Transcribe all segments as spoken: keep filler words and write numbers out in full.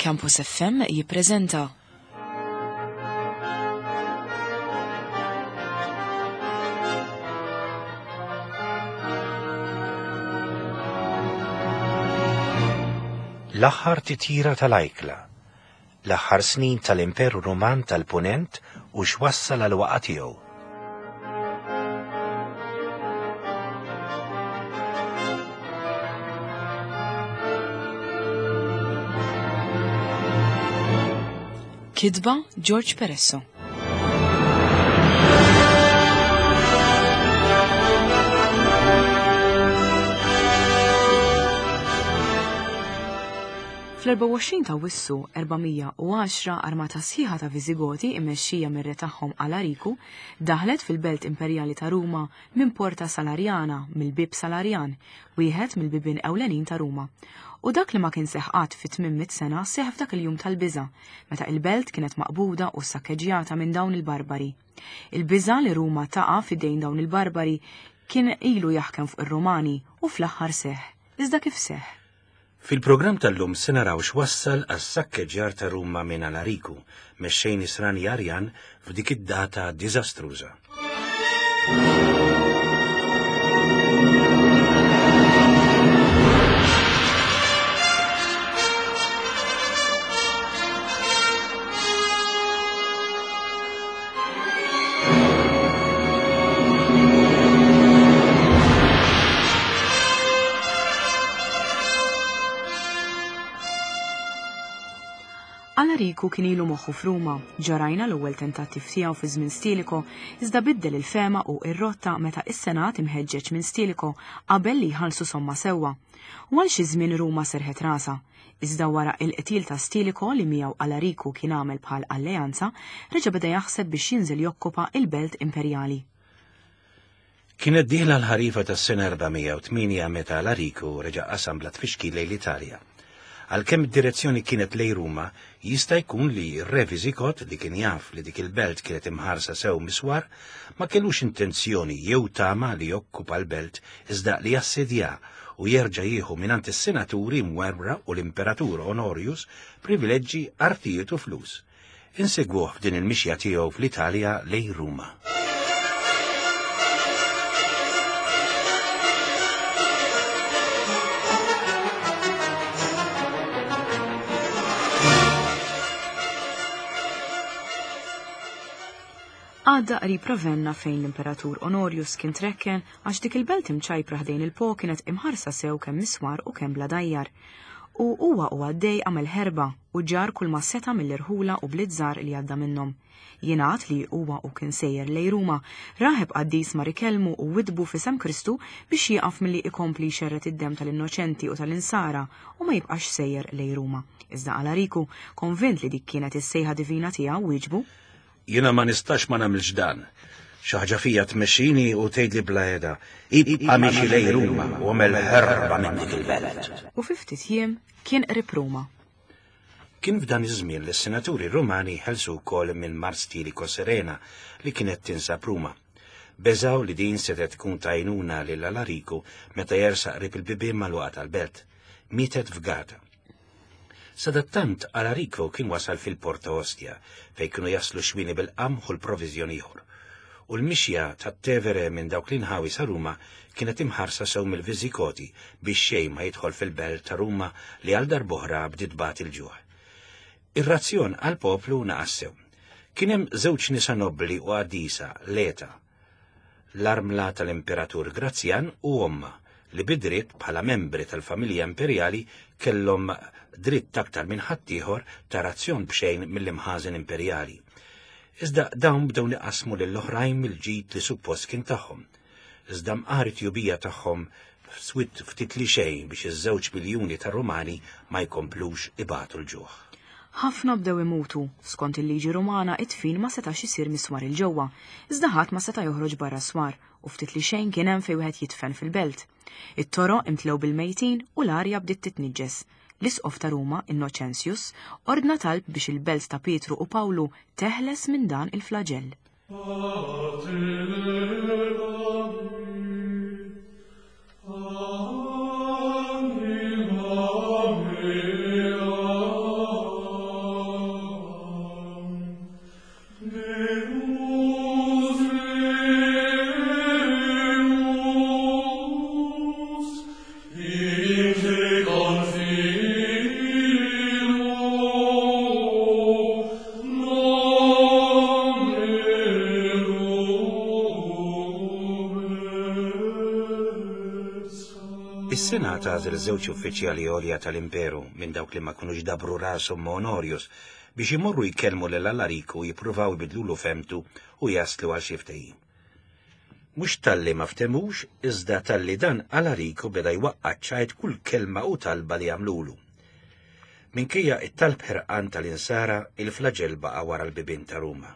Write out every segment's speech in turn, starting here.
Campus F M jippreżenta L-aħħar titjira tal-ajkla, l-aħħar snin tal-Imperu Ruman tal-Punent u x'wassal għal waqa' tiegħu. Kitba George Peresso. Fl-erbgħa u għoxrin ta' Awwissu erba' mija u għaxra armata sħiħa ta' Viżigoti immexxija mir-re tagħhom Alariku daħlet fil-belt imperjali ta' Ruma minn Porta Salariana, mill-Bieb Salarjan, wieħed mill-bibien ewlenin ta' Ruma. U dak li ma kien seħħ qatt fi tmien mitt sena seħħ f'dak il-jum tal-biża', meta il-belt kienet maqbuda u ssakkeġġjata minn dawn il-barbari. Il-biża' li Ruma taqa' f'idejn dawn il-barbari kien ilu jaħkem fuq ir-Rumani u fl-aħħar seħħ. Iżda kif seħħ? Fil-programm tal-lum se naraw x'wassal għas-sakkeġġjar ta' Ruma minn Alariku, mexxej nisrani Arjan f'dik id-data diżastruża. Alariku kien ilu moħħu f'Ruma, ġarajna l-ewwel tentattiv tiegħu fi żmien Stiliko, iżda biddel il-fema u r-rotta meta is-Senat imħeġġeġ minn Stiliko qabel li jħallsu somma sewwa. U għal xi żmien Ruma serħet rasha, iżda wara il-qtil ta' Stiliko li miegħu Alariku kien għamel bħal alleanza, reġa' beda jaħseb biex jinżel jokkupa il-belt imperjali. Kienet dieħla l-ħarifa tas-sena erba' mija u tmienja meta Alariku reġa' qasam bla tfixkil lejn l-Italja. Għalkemm id-direzzjoni kienet lejn Ruma, jista' jkun li r-re Viżigot, li kien jaf li dik il-belt kienet imħarsa sew miswar, ma kellux intenzjoni jew tama li jokkupa l-belt iżda li jassedja u jerġa' jieħu mingħand is-senaturi mwerwra u l-Imperatur Honorius privileġġi, artijiet u flus. Insegwuh f'din il-mixja tiegħu fl-Italja lejn Ruma. Għadda qrib Ravenna fejn l-Imperatur Honorius kien trekken għax dik il-belt imċajpra ħdejn il-Po kienet imħarsa sew kemm miswar u kemm bla dajjar. U huwa u għaddej għamel ħerba u ġar kull ma seta' mill-irħula u blizzar li għadda minnhom. Jingħad li huwa u kien sejjer lejn Ruma, raħeb qaddis mar ikellmu u widbu f'isem Kristu biex jieqaf milli ikompli jxerred id-demm tal-innoċenti u tal-insara u ma jibqax sejjer lejn Ruma. Iżda Alariku, konvint li dik kienet is-sejħa divina tiegħu, wieġbu: Jiena ma nistax ma nagħmilx dan. Xi ħaġa fija tmexxini u tgħidli bla qiegħda, ibqa' miexi lejn Ruma u għamel ħerba minn dik il-belt. U fi ftit jiem kien qrib Ruma. Kien f'dan iż-żmien li s-senaturi Rumani ħelsu wkoll minn Mars Stiliko Serena li kienet tinsab Ruma. Beżaw li din setgħet tkun tajnuna lil Alariku meta jersaq qrib il-bibien magħluqa tal-belt. Mietet f'Gata. Sadattant Alarico kien wasal fil-Porta Ostia, fejn kienu jaslu xwini bil-qamħ u l-proviżjoni ieħor. U l-mixja tat-Tevere minn dawk l-inħawi sa Ruma kienet imħarsa sew mill-Viżigoti biex xejn ma jidħol fil-belt ta' Ruma li għal darb'oħra bdiet tbati l-ġuħ. Ir-razzjon għall-poplu naqas sew. Kien hemm żewġ nisa nobbli u qaddisa, Leta, l-armla tal-Imperatur Grazjan u omma, li bidritt bħala membri tal-familja imperjali kellhom dritt aktar minn ħaddieħor ta' razzjon b'xejn mill-imħażen imperjali. Iżda dawn bdew niqasmu lill-oħrajn mill-ġid li suppost kien tagħhom. Iżda mqar it-tjubija tagħhom swit ftit li xejn biex iż-żewġ miljuni ta' Rumani ma jkomplux ibatu l-ġuħ. Ħafna bdew imutu, skont il-liġi Rumana it-tfin ma setax isir miswar il-ġewwa, iżda ħadd ma seta' joħroġ barra swar u ftit li xejn kien hemm fejn wieħed jitfen fil-belt. It-toroq imtlew bil-mejtin u l-arja bdiet titniġġes. L-Isqof ta' Ruma, Innoċenzjus, ordna talb biex il-belt ta' Pietru u Pawlu teħles minn dan il-flaġell. Is-Senat għażel żewġ uffiċjali għolja tal-Imperu minn dawk li ma kinux dabru rashom ma' Honorius biex imorru jkellmu lil Alariku jippruvaw ibidlulu femtu u jaslu għal xi ftehim. Mhux talli ma ftemux, iżda talli dan Alariku beda jwaqqa' ċajt kull kelma u talba li għamlulu. Minkejja it-talb ħerqan tal-insara, il-flaġell baqa' wara l-bibien ta' Ruma.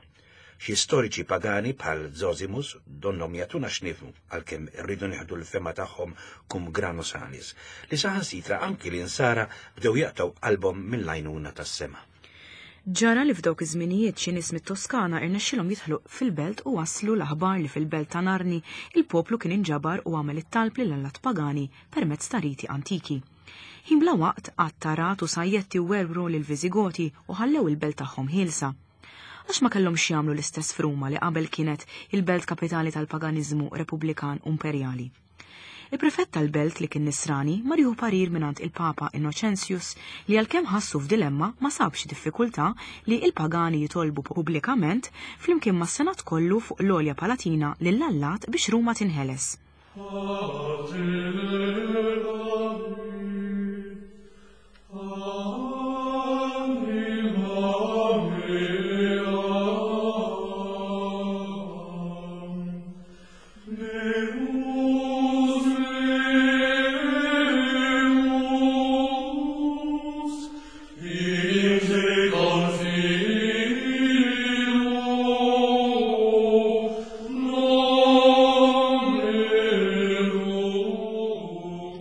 Xi storiċi pagani bħal Zosimus donnhom jagħtuna x'nifhmu għalkemm irridu nieħdu l-fema tagħhom cum grano salis, li saħansitra anki l-insara bdew jaqtgħu qalbhom mill-għajnuna tas-sema. Ġara li f'dawk iż-żminijiet xi nies mit-Toskana irnexxilhom jidħlu fil-belt u waslu l-aħbar li fil-belt ta' Narni il-poplu kien inġabar u għamel it-talb lil allat pagani permezz ta' riti antiki. Ħin bla waqt qattarat u sajjetti werwru lill-Viżigoti u ħallew il-belt tagħhom ħielsa. Għax ma kellhomx jagħmlu l-istess f'Ruma li qabel kienet il-belt kapitali tal-paganiżmu repubblikan u imperjali. Il-prefett tal-belt li kien nisrani mar jieħu parir mingħand il-Papa Innocenzius li għalkemm ħassu f'dilemma ma sabx diffikultà li il-pagani jitolbu pubblikament flimkien mas-Senat kollu fuq l-Olja Palatina lill-allat biex Ruma tinħeles.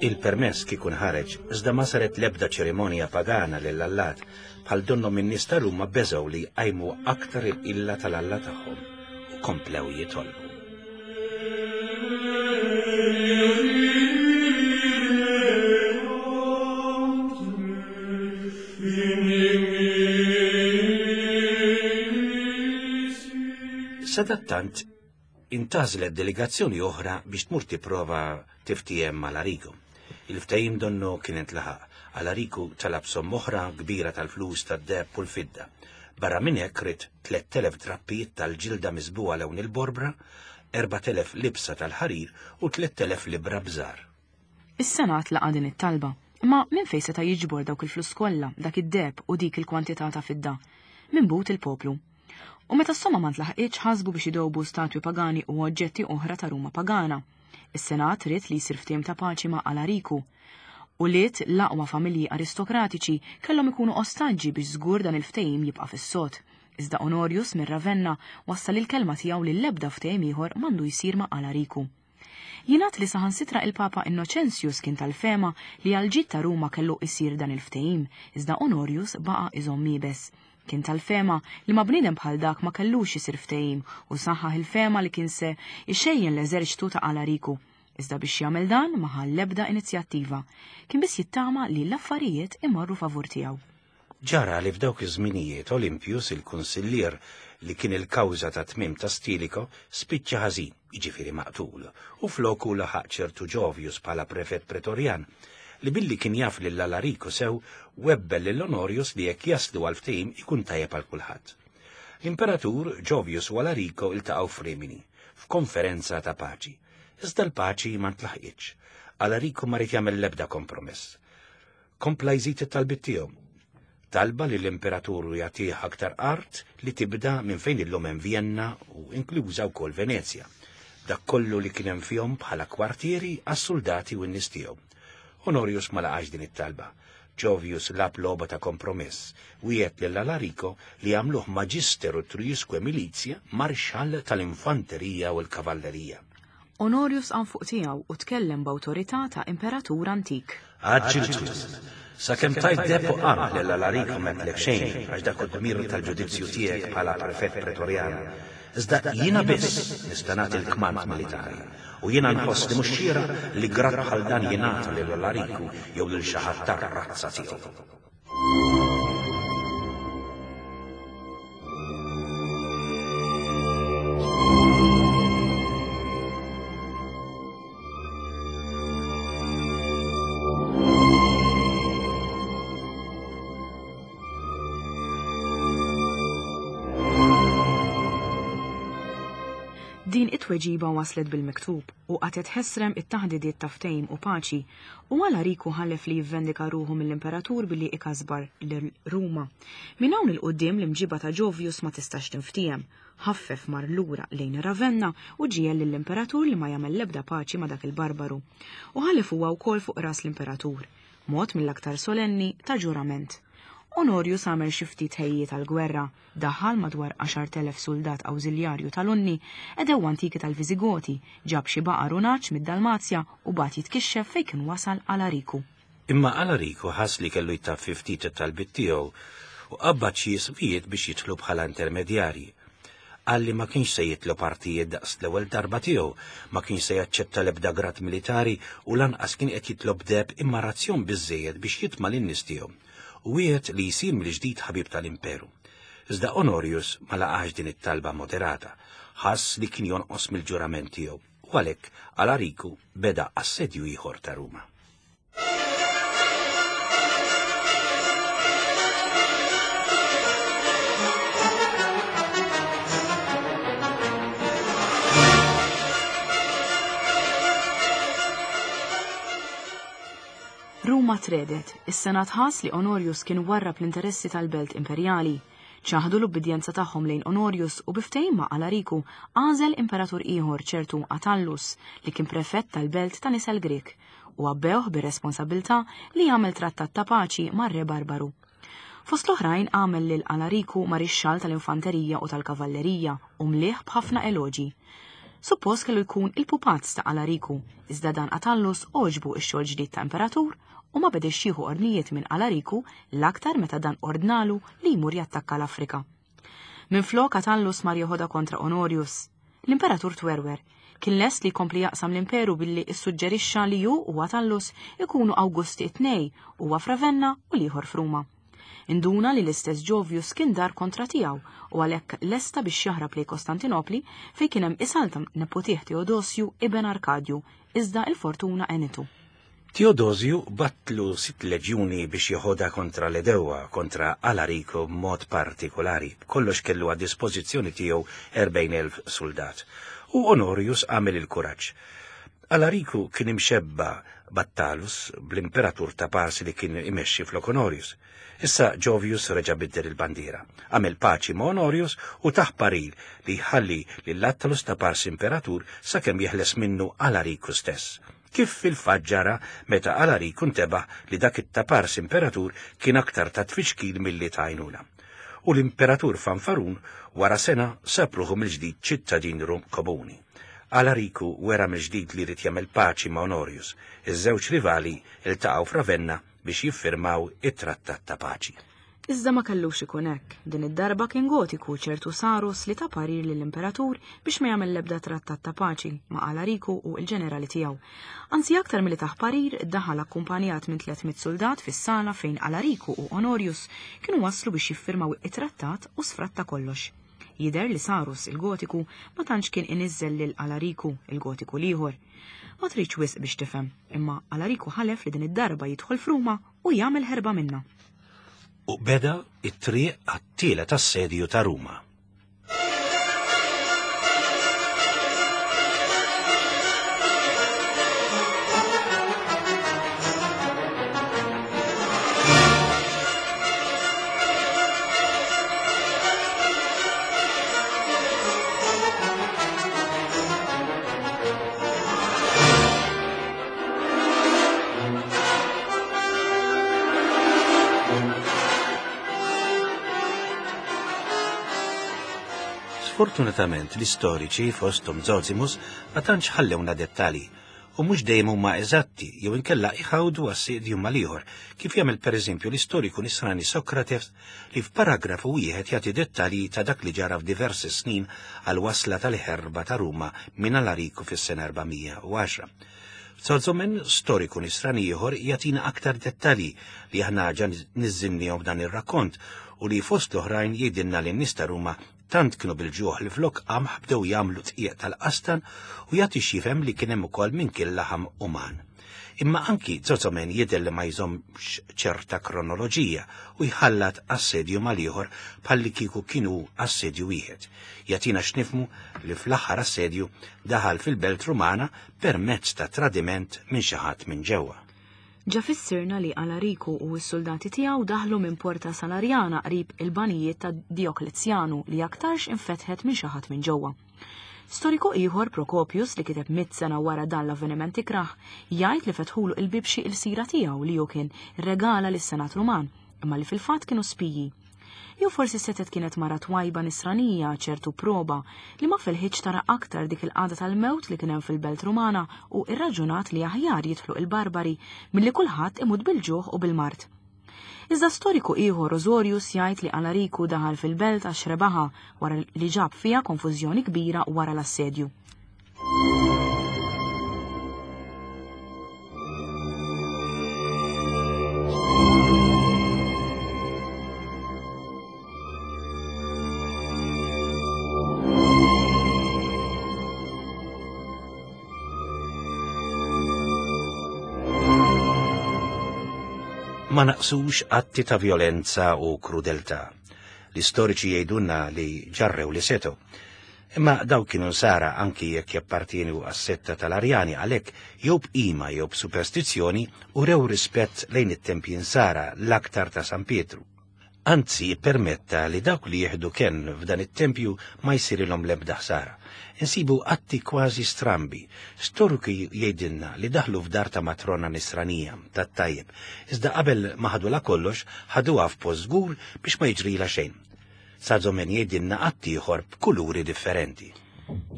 Il-permess kikun ħareġ, iżda ma saret l-ebda ċerimonja pagana lill-allat, bħal donnhom in-nies ta' Ruma beżgħu li jqajmu aktar il-qilla tal-alla tagħhom u komplew jitolbu. Sadattant, intażlet delegazzjoni oħra biex tmur tipprova tiftiem mal-Alariku. Il-ftehim donnu kien intlaħaq. Alariku talab somma oħra kbira tal-flus tad-deheb u l-fidda. Barra minn hekk ried tliet elef drappijiet tal-ġilda miżbugħa lewn il-borbra, erbat elef libsa tal-ħarir u tliet elef libra bżar. Is-Senat laqa' din it-talba, imma minn fejn seta' jiġbor dawk il-flus kollha, dak id-deheb u dik il-kwantità ta' fidda? Minn but il-poplu. U meta s-somma ma ntlaħqitx ħasbu biex idowbu statwi pagani u oġġetti oħra ta' Ruma pagana. Is-Senat ried li jsir ftehim ta' paċi ma' Alariku. U liet l-aqwa familji aristokratiċi kellhom ikunu ostaġġi biex żgur dan il-ftehim jibqa' fis-sod. Iżda Honorius minn Ravenna wassal il-kelma tiegħu li l-ebda ftehim ieħor m'għandu jsir ma' Alariku. Jingħad li saħansitra il-Papa Innocenzius kien tal-fema li għal-ġid ta' Ruma kellu jsir dan il-ftehim, iżda Honorius baqa' iżomm iebes. Kien tal-fema li ma' bniedem bħal dak ma kellux isir ftehim u saħħaħ il-fema li kien se ixejjen l-eżerċtu ta' Alariku. Iżda biex jagħmel dan ma ħa l-ebda inizjattiva. Kien biss jittama li l-affarijiet imorru favur tiegħu. Ġara li f'dawk iż-żminijiet Olympius, il-kunsillier li kien il-kawża ta' tmiem ta' Stilicho, spiċċa ħażin, jiġifieri maqtul, u floku laħaq ċertu Ġovius bħala prefett pretorjan, li billi kien jaf lil Alariku sew webbel lil Honorius li jekk jaslu għal ftehim ikun tajjeb għal kulħadd. L-imperatur Ġovius u Alarico iltaqgħu f'Rimini f'konferenza ta' paċi. Iżda l-paċi ma ntlaħqitx. Alarico ma ried jagħmel l-ebda kompromess. Kompla jżid it-talbiet tiegħu. Talba li l-imperatur jagħtih aktar art li tibda minn fejn illum hemm Vienna u inkluża wkoll Venezja. Dak kollu li kien hemm fihom bħala kwartieri għas-soldati u n-nies tiegħu. Honorius ma laqax din it-talba. Ġovius lab logħba ta' kompromess, wiegħed lil Alarico li għamluh magister utriusque milizia, marxall tal-infanterija u l-kavallerija. Honorius qam fuq tiegħu u tkellem b'awtorità ta' imperatur antik. Għaġġiltu, sakemm tajt deheb u qamħ lil Alarico m'għedtlek xejn għax dak hu dmir tal-ġudizzju tiegħek bħala prefett pretorjan. Iżda jiena biss nista' nagħti l-kmand militari u jiena nħoss li mhux xieraq li grad bħal dan jingħata lil Alariku jew lil xi ħadd tar-razza tiegħu. Din it-tweġiba waslet bil-miktub u qatgħet ħesrem it-taħdidiet ta' ftehim u paċi, u Alariku ħalef li jivvendika ruħu mill-imperatur billi ikasbar lil Ruma. Minn hawn il-qudiem l-imġiba ta' Jovius ma tistax tinftiehem. Ħaffef mar lura lejn Ravenna u ġiegħel lill-imperatur li ma jagħmel l-ebda paċi ma' dak il-barbaru. U ħalef huwa wkoll fuq ras l-imperatur, mod mill-aktar solenni ta' ġurament. Honorius għamel xi ftit ħejjiet għall-gwerra, daħal madwar għaxart elef soldat awżiljarju tal-Unni, edew antiki tal-Viżigoti, ġab xi baqar u nagħaġ mid-Dalmazja u bagħat jitkixxef fejn kien wasal Alariku. Imma Alariku ħass li kellu jtaffi ftit it-talbiet tiegħu u qabbad xi ismijiet biex jidħlu bħala intermedjarji. Qal li ma kienx se jitlob partijiet daqs l-ewwel darba tiegħu, ma kienx se jaċċetta l-ebda grad militari u lanqas kien qed jitlob deheb imma razzjon biżżejjed biex jitma' lin-nies tiegħu. U wieħed li jsir mill-ġdid ħabib tal-imperu. Iżda Honorius ma laqax din it-talba moderata, ħass li kien jonqos mill-ġurament tiegħu, u għalhekk Alariku beda assedju ieħor ta' Ruma. Ruma tredet, is-Senat ħass li Honorius kien warrab l-interessi tal-belt imperjali. Ċaħdu l-ubbidjenza tagħhom lejn Honorius u bi ftehim ma' Alariku għażel imperatur ieħor ċertu Atallus li kien prefett tal-belt ta' nisel Grek u għabbewh bir-responsabilità li jagħmel trattat ta' paċi mar-re Barbaru. Fost l-oħrajn għamel lil Alariku marixxall tal-infanterija u tal-kavallerija u mlieh b'ħafna eloġi. Suppost kellu jkun il-pupazz ta' Alariku, iżda dan Atallus għoġbu x-xogħol ġdid ta' imperatur u ma bediex jieħu ordnijiet minn Alariku l-aktar meta dan ordnalu li jmur jattakka l-Afrika. Minflok Atallus mar joħodha kontra Honorius. L-imperatur twerwer, kien lest li jkompli jaqsam l-imperu billi issuġġerixxa li hu u Atallus ikunu Awgusti t-tnej, huwa f'Ravenna u l-ieħor f'Ruma. Induna li l-istess Jovius kien dar kontra tiegħu u għalhekk lesta biex jaħrab lejn Kostantinopli fejn kien hemm isalta nepotih Teodosju ibn Arkadju, iżda l-fortuna għenitu. Teodosju batlu sitt leġjuni biex jeħodha kontra l-edewwa, kontra Alariku b'mod partikolari. Kollox kellu għad dispożizzjoni tiegħu erbgħin elf soldat. U Honorius għamel il-kuraġġ. Alariku kien imxebba Battalus bl-imperatur ta' Parsi li kien imexxi flok Honorius. Issa Jovius reġa' biddel il-bandiera, għamel paċi ma' Honorius u taħ paril li jħalli lil Attalus ta' Parsi imperatur sakemm jeħles minnu Alariku stess. Kif fil-fatt ġara meta Alariku ntebaħ li dak it-ta' Parsi imperatur kien aktar ta' tfixkil milli ta' għajnuna. U l-imperatur fanfarun wara sena sab ruħu mill-ġdid ċittadin Rum komuni. Alariku wera mill-ġdid li jrid jagħmel paċi ma' Honorius. Iż-żewġ rivali iltaqgħu f'Ravenna biex jiffirmaw it-trattat ta' paċi. Iżda ma kellux ikun hekk. Din id-darba kien gotiku ċertu Sarus li ta' parir lill-imperatur biex ma jagħmel l-ebda trattat ta' paċi ma' Alariku u l-ġenerali tiegħu. Anzi aktar milli taħ parir daħal akkumpanjat minn tliet mitt soldat fis-sala fejn Alariku u Honorius kienu waslu biex jiffirmaw it-trattat u sfratta kollox. Jidher li Sarus il-gotiku ma tantx kien iniżżel lil Alariku il-gotiku l-ieħor. Ma tridx wisq biex tifhem, imma Alariku ħalef li din id-darba jidħol f'Ruma u jagħmel ħerba minnha. U beda it-triq għat-tielet assedju ta' Ruma. Sfortunatament l-istoriċi fosthom Zosimus ma tantx ħallewna dettalji u mhux dejjem huma eżatti jew inkella iħawdu għas-sidju mal-ieħor, kif jagħmel pereżempju l-istoriku nisrani Sokrates li f'paragrafu wieħed jagħti dettalji ta' dak li ġara f'diversi snin għal wasla tal-ħerba ta' Ruma minn Alariku fis-sena erba' mija u għaxra. Sozomen, storiku nisrani ieħor, jagħtina aktar dettalji li aħna ġa niżżinnihom f'dan ir-rakkont u li fost l-oħrajn jgħidilna li n-nies ta' Ruma tant kienu bil-ġuħ li flok qamħ bdew jagħmlu tqiegħ tal-qastan u jagħti x'jifhem li kien hemm ukoll min kien laħam uman. Imma anki Zozomen jidher li ma jżommx ċerta kronoloġija u jħallat assedju mal-ieħor bħalli kieku kienu assedju wieħed. Jagħtina x'nifhmu li fl-aħħar assedju daħal fil-belt Rumana permezz ta' tradiment minn xi ħadd minn ġewwa. Ġa fissirna li Alariku u s-soldati tiegħu daħlu minn Porta Salarjana qrib il-banijiet ta' Dioklezjanu li aktarx infetħet minn xi ħadd minn ġewwa. Storiku ieħor, Prokopius, li kiteb mitt sena wara dan l-avveniment ikrah, jgħid li fetħulu il-bib xi ilsira tiegħu li hu kien regala lis-Senat Ruman, imma li fil-fatt kienu spiji. Jew forsi setet kienet mara twajba nisranija ċertu proba li ma felħitx tara aktar dik il-qagħda tal-mewt li kien hemm fil-belt Rumana u irraġunat li aħjar jidħlu il-barbari milli kulħadd imut bil-ġuħ u bil-mard. Iżda storiku ieħor, Rosorius, jgħid li Alariku daħal fil-belt għax rebaħa wara li ġab fiha konfużjoni kbira wara l-assedju. Ma naqsux atti ta' violenza u krudeltà. L-istoriċi jgħidulna li ġarrew li setgħu. Imma daw kienu nsara anki jekk jappartienu għas-setta tal-Arjani, għalhekk jew b'qima jew b'superstizzjoni u rew rispett lejn it-tempji nsara l-aktar ta' San Pietru. Anzi, permetta li dawk li jieħdu kenn f'dan it-tempju ma jsirilhom l-ebda ħsara. Insibu atti kważi strambi. Storiku jgħidilna li daħlu f'dar ta' matrona nisranija tat-tajjeb, iżda qabel ma ħadula kollox ħaduha f'post żgur biex ma jiġrilha xejn. Sazomen jgħidilna atti ieħor b'kuluri differenti.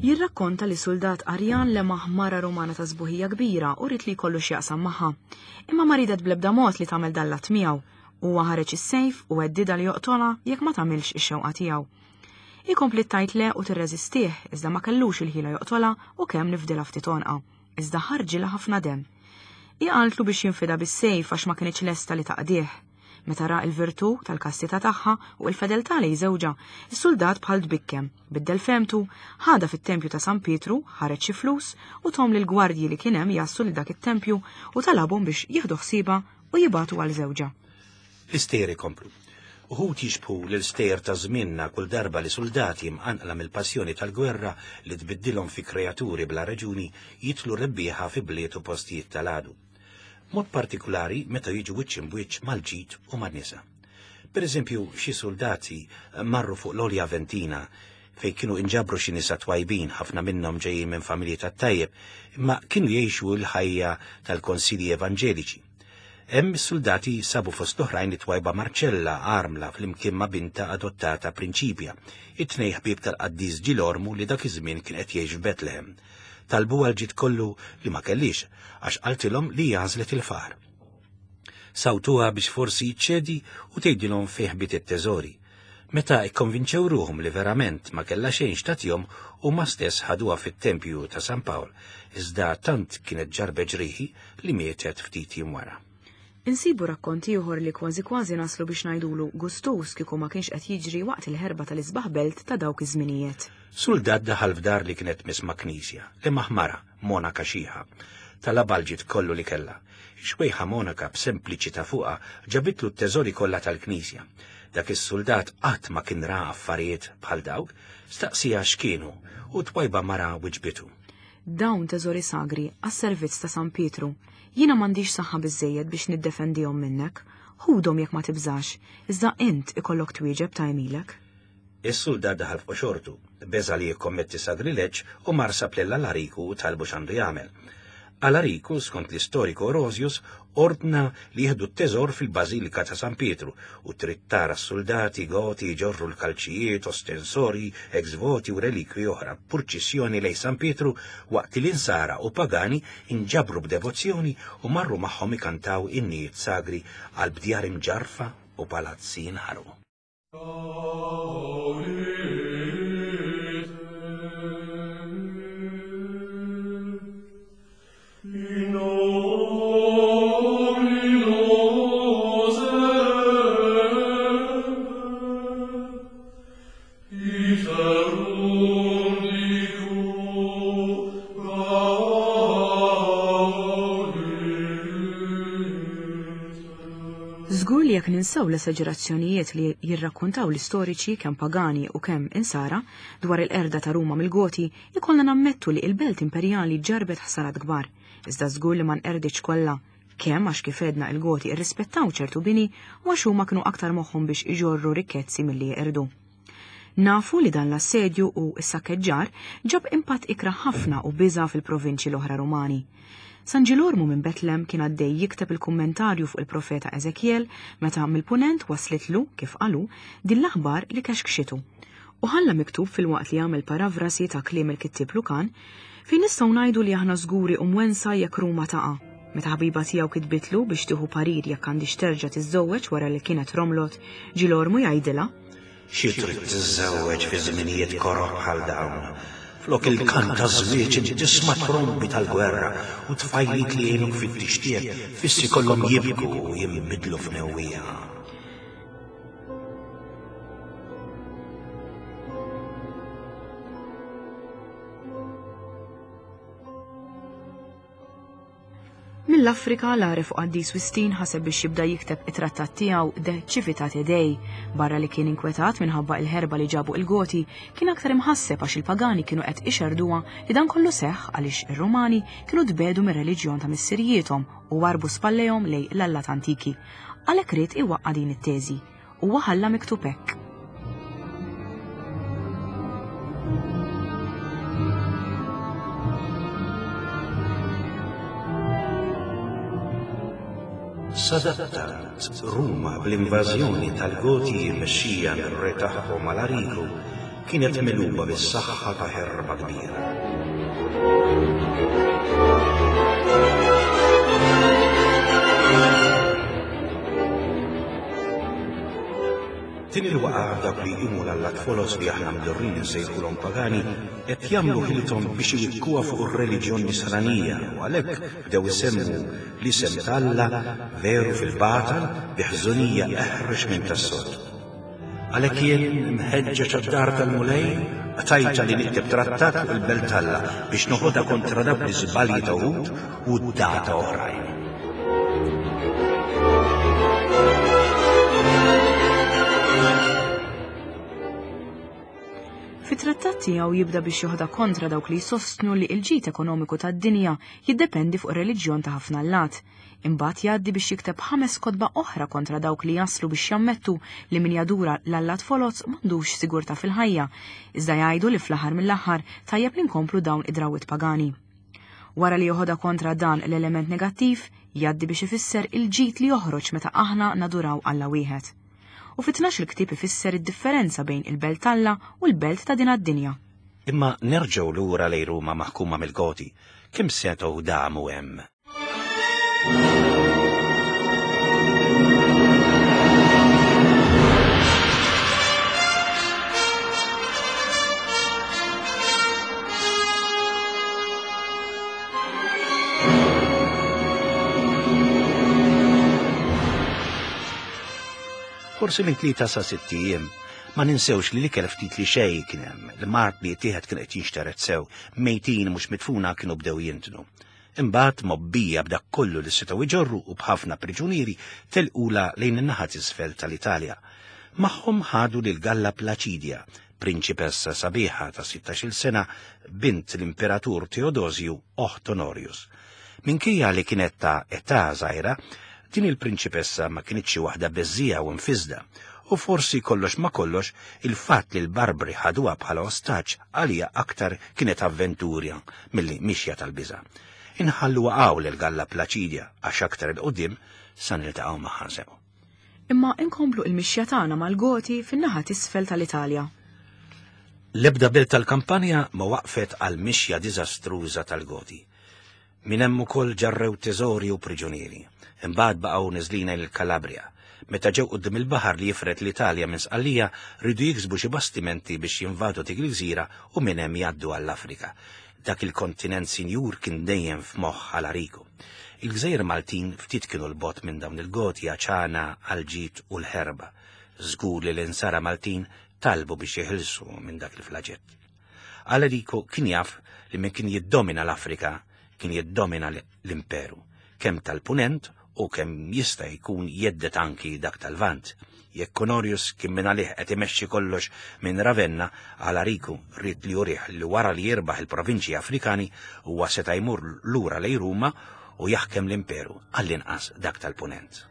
Jirrakkonta li soldat Arjan lemaħ mara Rumana ta' sbuħija kbira u rid li jkollu x'jaqsam magħha. Imma ma ridet bl-ebda mod li tagħmel dan l-att miegħu. Huwa ħareġ is-sejf u għeddida li joqtolha jekk ma tagħmilx ix-xewqa tiegħu. Ikompli tajt le u tirreżistih, iżda ma kellux il-ħila joqtolha u kemm nifdilha ftit għonqa, iżda ħarġilha ħafna demm. Hi qaltlu biex jinfida bis-sejf għax ma kinitx lesta li taqdih. Meta ra l-virtù tal-kastità tagħha u l-fedeltà lejn żewġha, is-soldat bħal tbikkem, biddel femtu, ħadha fit-tempju ta' San Pietru, ħareġ xi flus u tom lill-gwardji li kien hemm jassu lil dak it-tempju u talabhom biex jieħdu ħsiebha u jibatu għal żewġha. L-istejjer ikomplu. Uħud jixbħu l-istejjer ta' żmienna kull darba li soldati mqanqla mill-passjoni tal-gwerra li tbiddilhom fi kreaturi bla raġuni jitlu rebbieħa fi bliet u postijiet tal-għadu. Mod partikulari meta jiġu wiċċ imbwiċċ mal-ġid u man-nisa. Per eżempju, xi soldati marru fuq l-Olja Ventina fejn kienu inġabru xi nisa twajbin, ħafna minnhom ġejjin minn familji tat-tajjeb, imma kienu jgħixu l-ħajja tal-konsilji evanġeliċi. Hemm is-soldati sabu fost oħrajn it-twajba Marcella armla flimkien ma' binta adottata Prinċipja, it-tnejn ħbieb tal-qaddis Ġilormu li dak iż-żmien kien qed jgħix f'Betlehem. Talbu għal ġid kollu li ma kellix għax qaltilhom li għażlet il-far. Sawtuha biex forsi ċċedi u tgħidilhom fejn ħbiet it-teżori. Meta ikkonvinċew ruhom li verament ma kellha xejn x'tagħtihom, huma stess ħaduha fit-tempju ta' San Pawl, iżda tant kienet ġarbet ġrieħi li mietet ftit jiem wara. Insibu rakkonti ieħor li kważi kważi naslu biex ngħidulu gustus kieku ma kienx qed jiġri waqt il-ħerba tal-isbaħ belt ta' dawk iż-żminijiet. Soldat daħal f'dar li kienet misma' knisja, li maħmara, monaka xieħa, talabha l-ġid kollu li kellha. Xwejħa monaka b'sempliċità fuqha ġabitlu t-teżori kollha tal-knisja. Dak is-soldat qatt ma kien ra affarijiet bħal dawk, staqsija x'kienu u twajba mara wiġbitu. Dawn teżori sagri għas-servizz ta' San Pietru. Jiena m'għandix saħħa biżejjed biex niddefendihom minnek. Ħudhom jekk ma tibżax, iżda int ikollok twieġeb ta' għemilek. Is-soldat daħal fuq xortu, beża li jikkommetti sagrileġġ u mar sab lil Alariku u talbu x'għandu jagħmel. Alariku, skont l-istoriku Orosius, ordna li jieħdu t-teżor fil-Bażilika ta' San Pietru u trid tara s-soldati goti jġorru l-kalċijiet, ostensori, ex-voti u relikwi oħra purċissjoni lejn San Pietru waqt li l-insara u pagani inġabru b'devozzjoni u marru magħhom ikantaw innijiet sagri għal bdjar imġarfa u palazzi jinħarqu. ninsew l-esaġerazzjonijiet li jirrakkontaw l-istoriċi kemm pagani u kemm insara dwar il-qerda ta' Ruma mill-Goti, ikollna nammettu li il-belt imperjali ġarbet ħsarat kbar, iżda żgur li ma nqerditx kollha, kemm għax kif għedna il-Goti irrispettaw ċertu bini u għax huma kienu aktar moħħhom biex iġorru rikkezzi milli jeqirdu. Nafu li dan l-assedju u s-sakkeġġar ġab impatt ikrah ħafna u biża' fil-provinċji l-oħra Rumani. San Ġilormu minn Betlem kien għaddej jikteb il-kummentarju fuq il-profeta Ezekiel meta mill-punent waslitlu, kif qalu, din l-aħbar li kexkxitu. U ħalla miktub fil-waqt li għamel paravrasi ta' kliem il-kittieb Lukan, fejn nistgħu ngħidu li aħna żguri u mwensa jekk Ruma taqa'. Meta ħabiba tiegħu kitbitlu biex tieħu parir jekk għandix terġa' tiżżewweġ wara li kienet romlot, Ġilormu jgħidilha: Xi trid tiżżewweġ fi żminijiet koroh bħal dawn? Flok il-kant ta' żwieġ inti tisma' trombi tal-gwerra u tfajliet li jgħinuk fit-tixtiet fissi kollhom jibku u jinbidlu f'newwija. Mill-Afrika l-għaref u qaddis Wistin ħaseb biex jibda jikteb it-trattat tiegħu De Civitate Dei. Barra li kien inkwetat minħabba il-ħerba li ġabu il-Goti, kien aktar imħasseb għax il-pagani kienu qed ixerduha li dan kollu seħħ għaliex ir-Rumani kienu tbedu mir-reliġjon ta' missirijiethom u warbu spallejhom lejn l-allat antiki. Għalhekk ried iwaqqa' din it-teżi. Huwa ħalla miktub hekk. Sadattant, Ruma bl-invażjoni tal-Goti mmexxija mir-re tagħhom Alariku kienet megħluba bis-saħħa ta' ħerba kbira. Din il-waqgħa dawk li jqumu l-allat folos li aħna mdorrin insejħulhom pagani qed jagħmlu ħilithom biex iwikkuha fuq ir-reliġjon nisranija u għalhekk bdew isemmu l-isem t'Alla veru fil-batal bi ħżunija eħrex minn tas-soltu. Għalhekk jien mħeġġeġ għad-dar tal-Mulej qtajta li nikteb trattat fuq il-belt t'Alla biex noħodha kontra dawk l-iżbalji ta' wħud u d-data oħrajn. Fit-trattat tiegħu jibda biex joħda kontra dawk li jsostnu li l-ġid ekonomiku tad-dinja jiddependi fuq ir-reliġjon ta' ħafna allat. Imbagħad jgħaddi biex jikteb ħames kotba oħra kontra dawk li jaslu biex jammettu li min jadura l-allat foloz m'għandux sigurtà fil-ħajja, iżda jgħidu li fl-aħħar mill-aħħar tajjeb li nkomplu dawn id-drawwiet pagani. Wara li joħodha kontra dan l-element negattiv, jgħaddi biex ifisser il-ġid li joħroġ meta aħna naduraw Alla wieħed. U fit-tnax il-ktieb ifisser id-differenza bejn il-belt t'Alla u l-belt ta' din għad-dinja. Imma nerġgħu lura lejn Ruma maħkuma mill-Goti, kemm setgħu damu hemm? Forsi minn tlieta sa sitt ijiem, ma ninsewx li l-ikel ftit li xejn kien hemm, l-mard li jittieħed kien qed jinxtered sew, mejtin mhux mitfuna kienu bdew jintnu. Imbagħad mobbija b'dak kollu li setgħu iġorru u b'ħafna priġunieri telqula lejn in-naħa t'isfel tal-Italja. Magħhom ħadu lil Galla Placidia, prinċipessa sabiħa ta' sittax-il sena, bint l-Imperatur Teodosju oħt Honorius. Minkejja li kienet ta' età żgħira, din il-prinċipessa ma kinitx xi waħda beżżija u nfisda, u forsi kollox ma kollox il-fatt li l-Barbri ħaduha bħala ostaġġ għalija aktar kienet avventurja milli mixja tal-biża'. Inħalluha hawn lil Galla Placidia għax aktar il qudiem sa niltaqgħu magħha sew. Imma inkomplu il-mixja tagħna mal-Goti fin-naħa t'isfel tal-Italja. L-ebda belt tal-kampanja ma waqfet għal mixja diżastruża tal-Goti. Min hemm ukoll ġarrew teżori u priġunieri. Imbagħad baqgħu neżlina lil Kalabria. Meta ġew quddiem il-baħar li jifred l-Italja minn Sqallija, rridu jiksbu xi bastimenti biex jinvadu dik il-gżira u minn hemm jgħaddu għall-Afrika. Dak il-kontinent sinjur kien dejjem f'moħħ Alariku. Il-gżejjer Maltin ftit kienu l-bot minn dawn il-Goti għaċana, għal-ġid u l-ħerba. Żgur li l-insara Maltin talbu biex jeħilsu minn dak il-flaġett. Alariku kien jaf li min kien jiddomina l-Afrika kien jiddomina l-imperu, kemm tal-punent u kemm jista' jkun jeddet anki dak tal-Lvant. Jekk Honorius kien minn għalih qed imexxi kollox minn Ravenna, Alariku ried li jurih li wara li jirbaħ il-provinċji Afrikani huwa seta' jmur lura lejn Ruma u jaħkem l-imperu għall-inqas dak tal-Punent.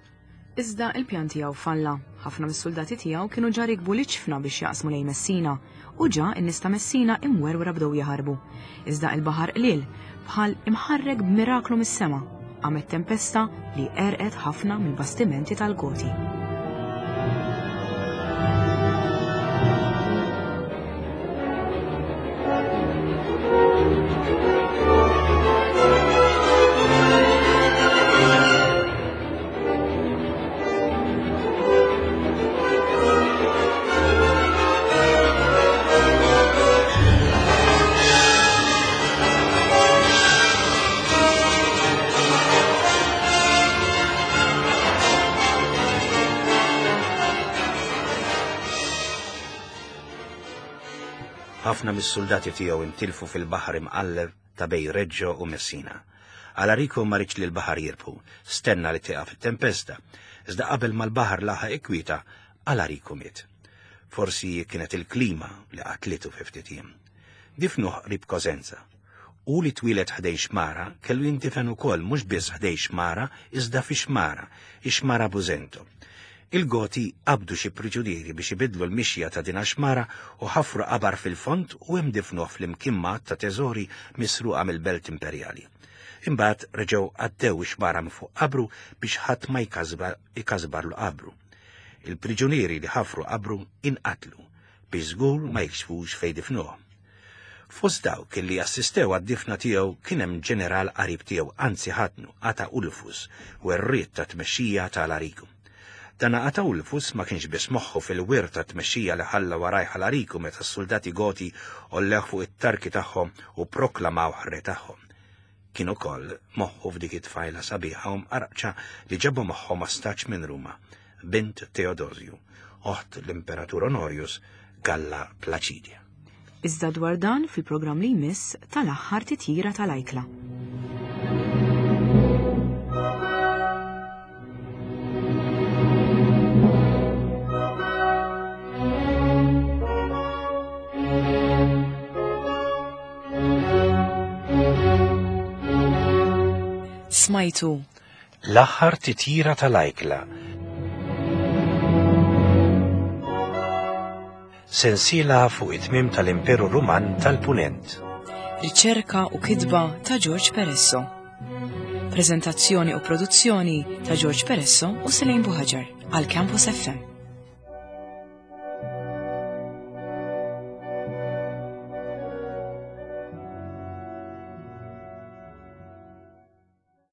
Iżda il-pjan tiegħu falla. Ħafna mis-soldati tiegħu kienu ġa rikbu l-iġfna biex jaqsmu lejn Messina u ġa n-nies ta' Messina imwerwra bdew jaħarbu. Iżda il-baħar qliel bħal imħarrek b'miraklu mis-sema. Qamet tempesta li għerqet ħafna mill-bastimenti tal-Goti. Ħafna mis-soldati tiegħu intilfu fil-baħar imqalleb ta' bejn Reggio u Messina. Alarico ma riedx li l-baħar jirbħu, stenna li tieqaf it-tempesta, iżda qabel ma l-baħar laħaq ikwieta, Alarico miet. Forsi kienet il-klima li qatlitu fi ftit jiem. Difnuh qrib Cosenza. U li twieled ħdejn xmara kellu jindifen ukoll mhux biss ħdejn xmara iżda fi xmara, ix-xmara Busento. Il-Goti qabdu xi priġunieri biex ibidlu l-mixja ta' din xmara u ħafru qabar fil-fond u hemm difnuh flimkien ma' ta' teżori misruqa mill-Belt Imperjali. Imbagħad reġgħu għaddew ix-xmara minn fuq qabru biex ħadd ma jkasbarlu qabru. Il-priġunieri li ħafru qabru inqatlu biex żgur ma jikxfux fejn difnuh. Fost dawk li assistew għad-difna tiegħu kien hemm ġeneral qarib tiegħu, anzi ħatnu, Ataulfus, werriet ta' tmexxija ta' Alariku. Dan Ataulfus ma kienx biss moħħu fil-wirt ta' tmexxija li ħalla warajh Alariku meta s-soldati Goti ollew fuq it-tarki tagħhom u proklamaw re tagħhom. Kien ukoll moħħu f'dik it-tfajla sabiħa u mqarqċa li ġabu magħhom ostaġġ minn Ruma, bint Teodosju, oħt l-Imperatur Honorius Galla Placidia. Iżda dwar dan fil-programm li jmiss tal-aħħar titjira tal-ajkla. Smajtu L-aħħar titjira tal-ajkla. Sensiela fuq it-tmiem tal-Imperu Ruman tal-Punent. Riċerka u kitba ta' George Peresso. Prezentazzjoni u produzzjoni ta' George Peresso u Selene Buhaġar għal Campus F M.